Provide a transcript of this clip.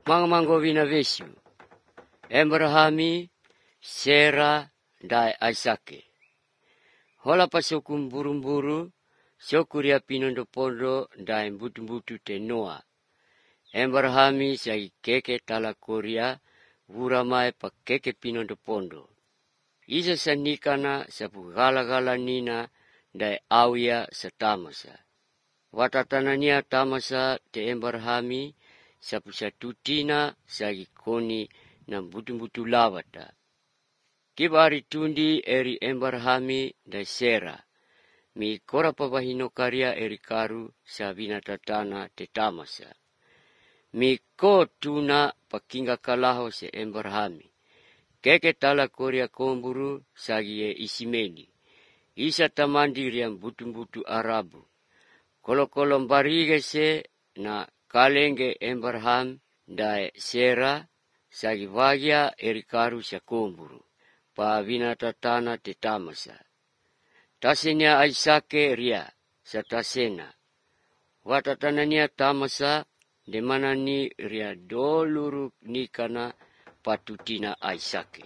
Mangamanggovina vesu. Abrahami, Sera, dai Isake. Hola pasokum burumburu, sokuria pinondo pondo dai butu-butu te Noa. Abrahami sai keke tala koria, vuramai pa keke pinondo pondo. Isa sanikana sapu gala-gala nina dai awia sa tamasa. Watatanania tamasa te Abrahami sapu satutina sagi koni na butu-butu lawata. Kibari tundi eri Abrahami dai Sera. Mi kora pabahino karya eri karu sa binatatana te tamasa. Mi ko tuna pakinga kalaho se Abrahami. Keke tala koria komburu sagi e Isimeni. Isa tamandiri yang butu-butu Arabu. Kolo-kolom barige se na kalenge Abraham dai Sera sagi vagia eri karu sa komburu. Pa binatatana te tamasa. Tasenya Isake ria sa tasena. Watatanania tamasa de manani ria doluru nikana patutina Isake.